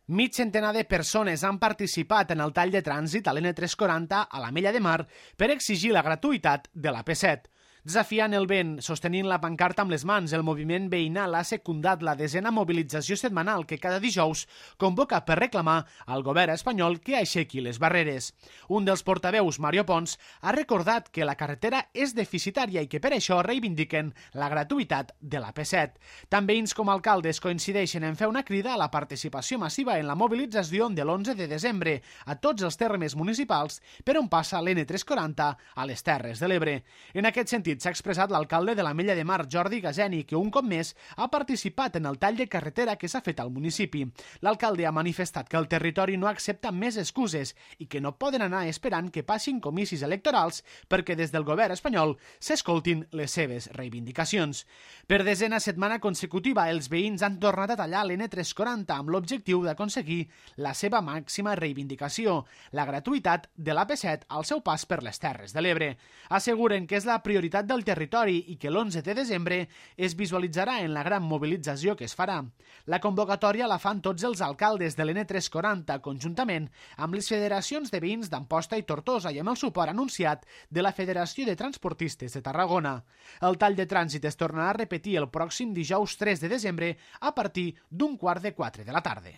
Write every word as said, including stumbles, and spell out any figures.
Mig centenar de persones han participat en el tall de trànsit a l'N tres cents quaranta a l'Ametlla de Mar per exigir la gratuïtat de l'A P set. Desafiant el vent, sostenint la pancarta amb les mans, el moviment veïnal ha secundat la desena mobilització setmanal que cada dijous convoca per reclamar al govern espanyol que aixequi les barreres. Un dels portaveus, Mario Pons, ha recordat que la carretera és deficitària i que per això reivindiquen la gratuïtat de l'A P set. Tant veïns com alcaldes coincideixen en fer una crida a la participació massiva en la mobilització de l'onze de desembre a tots els termes municipals per on passa l'N tres cents quaranta a les Terres de l'Ebre. En aquest sentit, s'ha expressat l'alcalde de l'Ametlla de Mar, Jordi Gazeni, que un cop més ha participat en el tall de carretera que s'ha fet al municipi. L'alcalde ha manifestat que el territori no accepta més excuses i que no poden anar esperant que passin comicis electorals perquè des del govern espanyol s'escoltin les seves reivindicacions. Per desena setmana consecutiva, els veïns han tornat a tallar l'N tres cents quaranta amb l'objectiu d'aconseguir la seva màxima reivindicació, la gratuïtat de l'A P set al seu pas per les Terres de l'Ebre. Asseguren que és la prioritat del territori i que l'onze de desembre es visualitzarà en la gran mobilització que es farà. La convocatòria la fan tots els alcaldes de l'N tres cents quaranta conjuntament amb les federacions de veïns d'Amposta i Tortosa i amb el suport anunciat de la Federació de Transportistes de Tarragona. El tall de trànsit es tornarà a repetir el pròxim dijous tres de desembre a partir d'un quart de quatre de la tarda.